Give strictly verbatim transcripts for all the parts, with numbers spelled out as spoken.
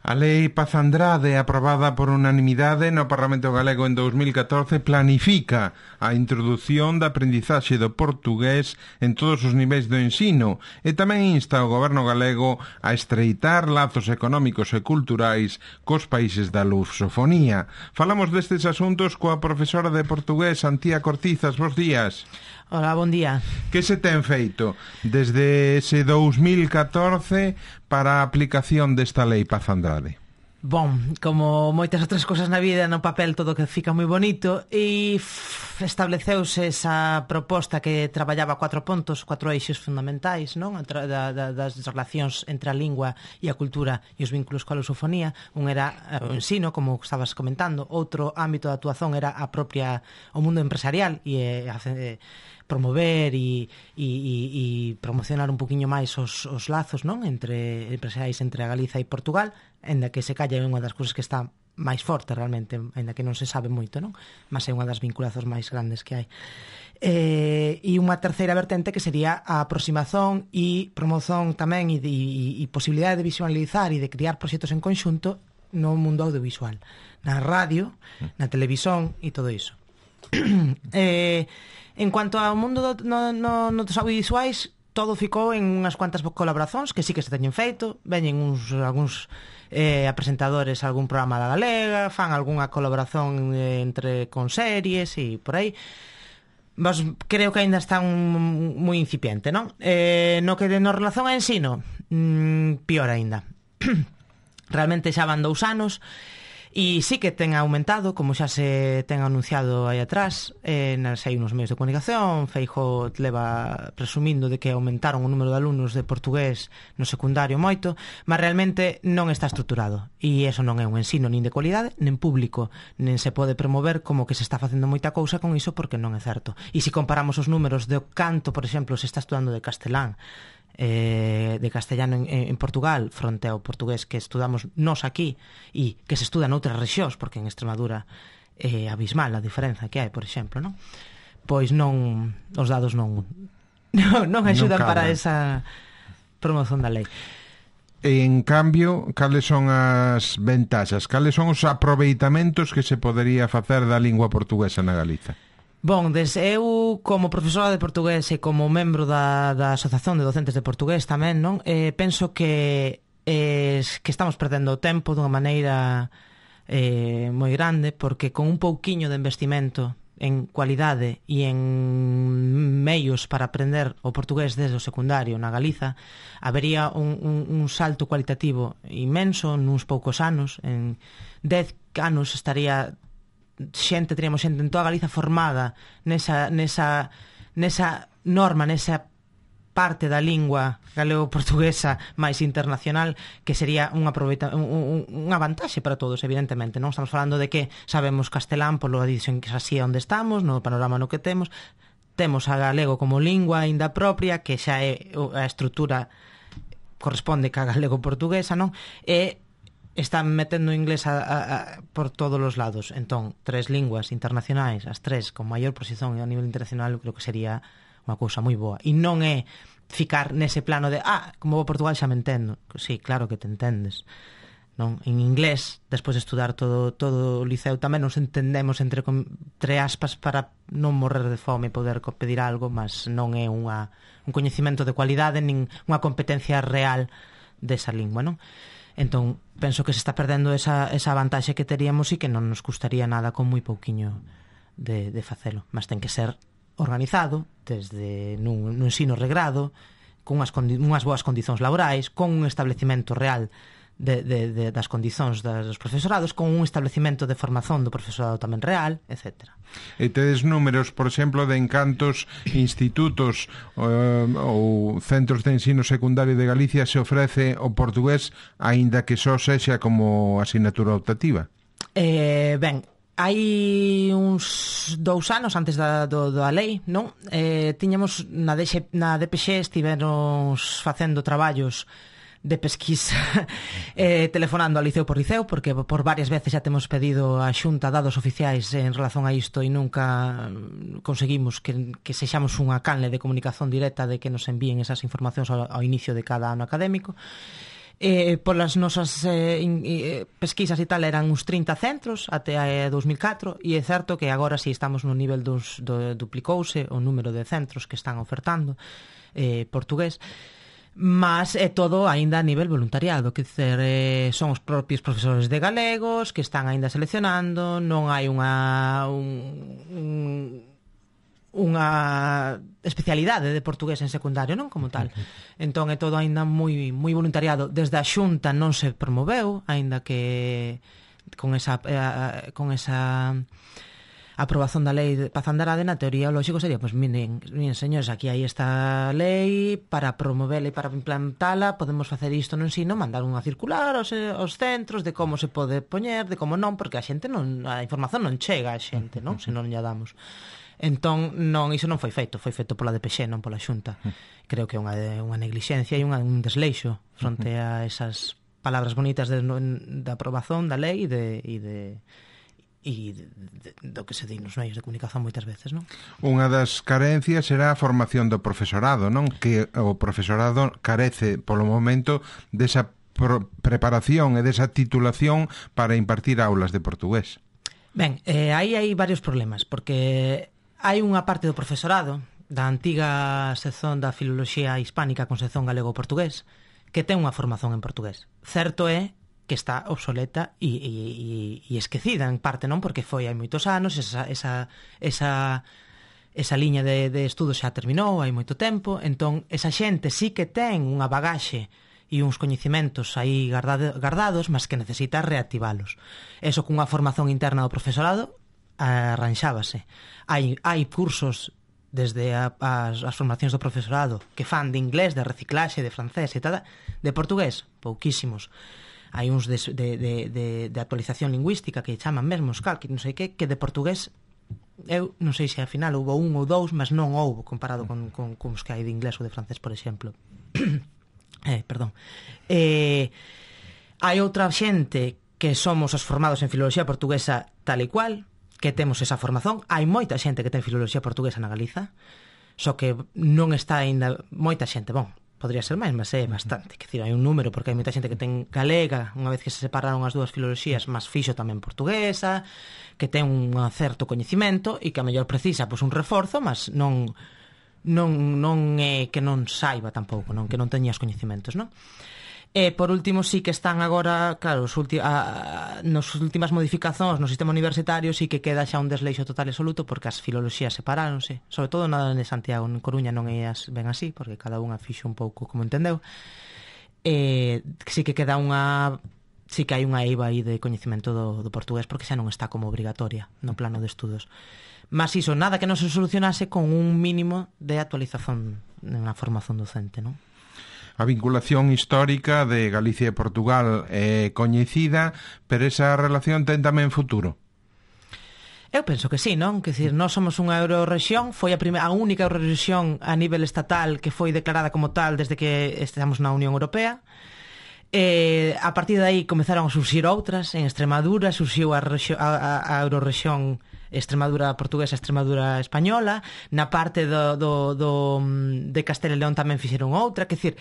A Lei Paz Andrade, aprobada por unanimidade no Parlamento Galego en dous mil catorce, planifica a introdución da aprendizaxe do portugués en todos os niveis do ensino e tamén insta ao Goberno galego a estreitar lazos económicos e culturais cos países da lusofonía. Falamos destes asuntos coa profesora de portugués Antía Cortizas. Bos días. Hola, bon día. Que se ten feito desde ese dous mil catorce para a aplicación desta Lei Paz Andrade? Bon, como moitas outras cousas na vida, no papel todo que fica moi bonito, e estableceuse esa proposta que traballaba cuatro pontos, cuatro eixos fundamentais, non? Da, da, das relacións entre a lingua e a cultura e os vínculos coa lusofonía. Un era o ensino, como estabas comentando, outro ámbito de actuación era a propia o mundo empresarial e a promover e, e, e promocionar un poquinho máis os, os lazos, non? Entre empresariais entre a Galiza e Portugal, ainda que se calla é unha das cousas que está máis forte realmente, ainda que non se sabe moito, non? Mas é unha das vinculazos máis grandes que hai. Eh, e unha terceira vertente que sería a aproximación e promoción tamén e, e, e posibilidade de visualizar e de criar proxectos en conxunto no mundo audiovisual, na radio, na televisión e todo iso. eh, en cuanto ao mundo do, no, no, no dos audiovisuais, todo ficou en unhas cuantas colaboracións que sí que se teñen feito. Veñen uns algúns eh, presentadores a algún programa da Galega, fan algunha colaboración eh, entre con series e por aí. Vos creo que aínda están moi incipiente, non? Eh, no que no relación a ensino, mmm, pior aínda. Realmente xa van dous anos e sí que ten aumentado, como xa se ten anunciado aí atrás, eh, nas hai uns medios de comunicación. Feijóo leva presumindo de que aumentaron o número de alumnos de portugués no secundario moito, mas realmente non está estruturado, e eso non é un ensino nin de cualidade, nin público, nin se pode promover como que se está facendo moita cousa con iso, porque non é certo. E se comparamos os números do canto, por exemplo, se está estudando de castelán, Eh, de castellano en, en Portugal fronte ao portugués que estudamos nos aquí e que se estuda noutras rexións, porque en Extremadura é abismal a diferenza que hai, por exemplo, non? Pois non, os dados non non, non axudan non para esa promoción da lei. En cambio, cales son as ventaxas, cales son os aproveitamentos que se podería facer da lingua portuguesa na Galiza? Bon, des, eu como profesora de portugués e como membro da, da Asociación de Docentes de Portugués tamén, non? Eh, penso que eh, que estamos perdendo o tempo dunha maneira eh, moi grande, porque con un pouquiño de investimento en cualidade e en meios para aprender o portugués desde o secundario na Galiza, habería un, un, un salto cualitativo inmenso nuns poucos anos. En dez anos estaría xente, teríamos xente en toda Galiza formada nesa, nesa, nesa norma, nesa parte da lingua galego-portuguesa máis internacional, que sería unha un, unha vantaxe para todos, evidentemente. Non estamos falando de que sabemos castelán polo edición que así onde estamos, no panorama no que temos. Temos a galego como lingua aínda propia, que xa é a estrutura corresponde ca galego-portuguesa, non? E están metendo inglés a, a, a, por todos os lados. Entón, tres linguas internacionais, as tres con maior posición a nivel internacional, eu creo que sería unha cousa moi boa. E non é ficar nese plano de ah, como vou a Portugal xa me entendo. Sí, claro que te entendes, non? En inglés, despois de estudar todo, todo o liceo, tamén nos entendemos entre, entre aspas para non morrer de fome e poder pedir algo, mas non é unha, un coñecemento de cualidade nin unha competencia real desa lingua, non? Entón, penso que se está perdendo esa, esa vantaxe que teríamos e que non nos custaría nada con moi pouquiño de, de facelo. Mas ten que ser organizado desde nun, nun ensino regrado, con unhas, unhas boas condicións laborais, con un establecimento real de, de, de, das condicións dos profesorados, con un establecimento de formación do profesorado tamén real, etcétera. E tedes números, por exemplo, de en cantos institutos uh, ou centros de ensino secundario de Galicia se ofrece o portugués, aínda que só sexa como asignatura optativa? Eh, ben, hai uns dous anos antes da, do, da lei, non? Eh, tiñamos na, D X, na D P X estivemos facendo traballos de pesquisa eh, telefonando a liceo por liceo, porque por varias veces xa temos pedido a Xunta dados oficiais en relación a isto e nunca conseguimos que, que sexamos unha canle de comunicación directa de que nos envíen esas informacións ao, ao inicio de cada ano académico. Eh, polas nosas eh, in, eh, pesquisas e tal eran uns trinta centros até a dos mil catro e é certo que agora si estamos no nivel dos, do, duplicouse o número de centros que están ofertando eh, portugués, mas é todo aínda a nivel voluntariado, que dizer, eh, son os propios profesores de galegos que están aínda seleccionando, non hai unha un, un unha especialidade de portugués en secundario, non como tal. Entón é todo aínda moi moi voluntariado. Desde a Xunta non se promoveu, aínda que con esa eh, con esa aprobación da lei de Pazandarade, na teoría o lógico sería, pois, pues, miren, miren, señores, aquí hai esta lei para promovela e para implantala, podemos facer isto no ensino, mandar unha circular aos, aos centros de como se pode poñer, de como non, porque a xente non, a información non chega a xente, non? Se non lla damos. Entón, non, iso non foi feito, foi feito pola D P X, non pola Xunta. Creo que é unha, unha neglixencia e unha, un desleixo fronte a esas palabras bonitas de, de aprobación da lei e de, e de e de, de, do que se di nos medios de comunicación moitas veces, non? Unha das carencias será a formación do profesorado, non? Que o profesorado carece polo momento desa pro- preparación e desa titulación para impartir aulas de portugués. Ben, eh, aí hai varios problemas, porque hai unha parte do profesorado da antiga sección da filoloxía hispánica con sección galego-portugués que ten unha formación en portugués. Certo é que está obsoleta e, e, e esquecida en parte, non? Porque foi hai moitos anos, esa, esa, esa, esa liña de, de estudos xa terminou hai moito tempo, entón esa xente sí que ten unha bagaxe e uns coñecimentos aí guardado, guardados, mas que necesita reactivalos. Eso cunha formación interna do profesorado arranxábase. Hai, hai cursos desde a, as, as formacións do profesorado que fan de inglés, de reciclaxe, de francés e tal, de portugués, pouquísimos. Hai uns de, de, de, de, de actualización lingüística que chaman mesmo os calqui, non sei que, que de portugués eu non sei se ao final houve un ou dous, mas non houve comparado con, con, con os que hai de inglés ou de francés, por exemplo. eh, perdón. Eh, hai outra xente que somos os formados en filoloxía portuguesa tal e cual, que temos esa formación. Hai moita xente que ten filoloxía portuguesa na Galiza, só que non está aínda moita xente, bon, podría ser máis, mas é bastante, que decir, hai un número, porque hai moita xente que ten galega, unha vez que se separaron as dúas filoloxías, mas fixo tamén portuguesa, que ten un certo coñecimento e que a mellor precisa pois un reforzo, mas non non non é que non saiba tampouco, non que non teña os coñecimentos, non? E, por último, sí que están agora, claro, os ulti- a, a, nos últimas modificacións no sistema universitario sí que queda xa un desleixo total e absoluto porque as filoloxías separáronse, sobre todo na de Santiago, en Coruña non é as, ben así, porque cada unha fixo un pouco como entendeu. E sí que queda unha... sí que hai unha eiva aí de coñecimento do, do portugués porque xa non está como obrigatoria no plano de estudos. Mas iso, nada que non se solucionase con un mínimo de actualización na formación docente, non? A vinculación histórica de Galicia e Portugal é coñecida, pero esa relación ten tamén futuro. Eu penso que sí, non? Que decir, nós somos unha eurorrexión, foi a, primeira, a única eurorrexión a nivel estatal que foi declarada como tal desde que estamos na Unión Europea. E a partir de aí comezaron a surxir outras. En Extremadura surxiu a, rexio, a, a eurorrexión Extremadura portuguesa, Extremadura española. Na parte do, do, do, de Castela e León tamén fixeron outra. Que decir,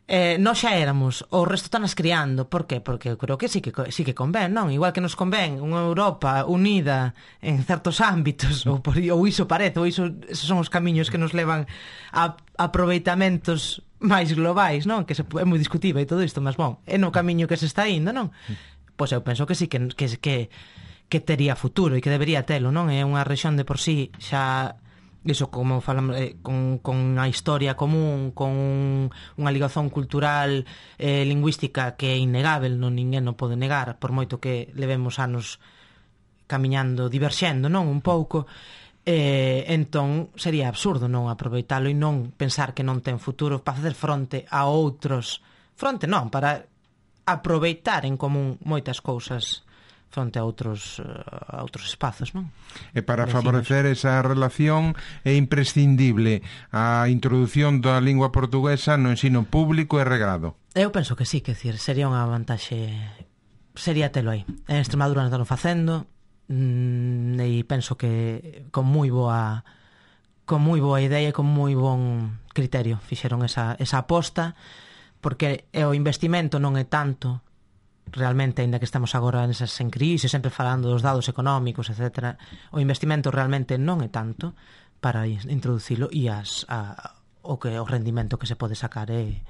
eh, nós xa éramos, o resto están as criando. Por qué? Porque eu creo que sí que, sí que convén, non? Igual que nos convén unha Europa unida en certos ámbitos, ou, por, ou iso parece, ou iso, esos son os camiños que nos levan a aproveitamentos máis globais, non? Que se, é moi discutible e todo isto, mas bon, é no camiño que se está indo, non? Pois eu penso que sí que, que, que, que tería futuro e que debería telo, non? É unha rexión de por sí xa... Iso, como falamos, eh, con, con a historia común, con un, unha ligación cultural eh, lingüística que é innegável, non ninguén non pode negar, por moito que levemos anos camiñando, diverxendo, non? Un pouco. Eh, entón, sería absurdo non aproveitalo e non pensar que non ten futuro para facer fronte a outros... Fronte non, para aproveitar en común moitas cousas fronte a outros a outros espazos, non? E para favorecer esa relación é imprescindible a introdución da lingua portuguesa no ensino público e regrado. Eu penso que sí, que decir, sería unha vantaxe, sería telo aí. En Extremadura non están facendo mmm, e penso que con moi boa con moi boa idea e con moi bon criterio fixeron esa, esa aposta porque o investimento non é tanto realmente, aínda que estamos agora nesas en crise, sempre falando dos dados económicos, etcétera, o investimento realmente non é tanto para introducilo, e as, a, o que o rendimento que se pode sacar é,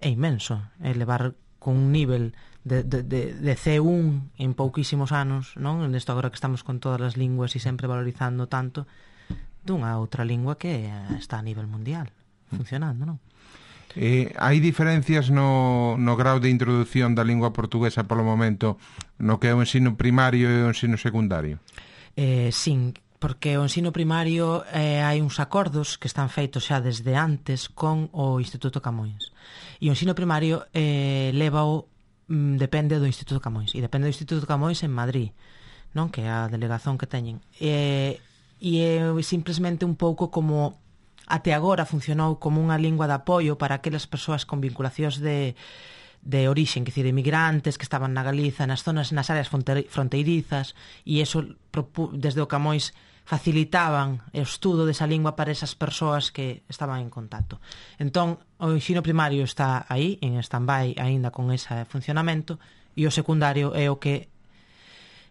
é inmenso. É levar con un nivel de, de, de, de C uno en pouquísimos anos, non? Nesto agora que estamos con todas as linguas e sempre valorizando tanto, dunha outra lingua que está a nivel mundial funcionando, non? Eh, hai diferencias no, no grau de introducción da lingua portuguesa polo momento no que é o ensino primario e o ensino secundario? Eh, sin, porque o ensino primario eh, hai uns acordos que están feitos xa desde antes con o Instituto Camões, e o ensino primario eh, leva o mm, depende do Instituto Camões, e depende do Instituto Camões en Madrid, non? Que é a delegación que teñen, e, e é simplesmente un pouco como até agora funcionou como unha lingua de apoio para aquelas persoas con vinculacións de, de orixen, que dicir, emigrantes que estaban na Galiza, nas zonas, nas áreas fronteirizas, e eso desde o Camões facilitaban o estudo desa lingua para esas persoas que estaban en contacto. Entón, o ensino primario está aí, en stand-by, aínda con ese funcionamento, e o secundario é o que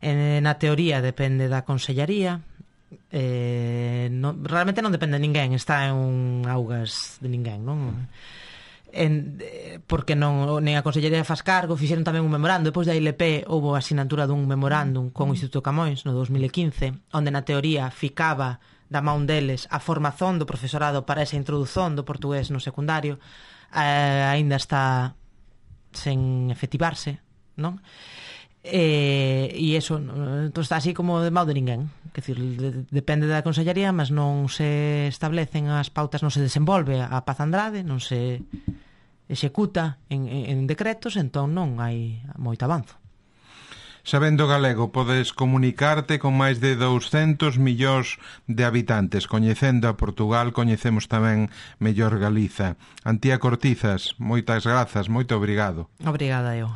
en, na teoría depende da Consellaría. Eh, no, realmente non depende de ninguén, está en un augas de ninguén, non? En, porque non, nen a Consellería faz cargo, fixeron tamén un memorando. Depois da I L P houve a asinatura dun memorándum con o Instituto Camões no dos mil quince, onde na teoría ficaba da man deles a formación do profesorado para esa introdución do portugués no secundario. Eh, aínda está sen efectivarse, non? E, e eso entón está así como de mau de ninguén, que decir, de, depende da Consellería, mas non se establecen as pautas, non se desenvolve a Paz Andrade, non se executa en, en decretos, entón non hai moito avanzo. Sabendo galego, podes comunicarte con máis de douscentos millóns de habitantes. Coñecendo a Portugal, coñecemos tamén mellor Galiza. Antía Cortizas, moitas grazas, moito obrigado. Obrigada eu.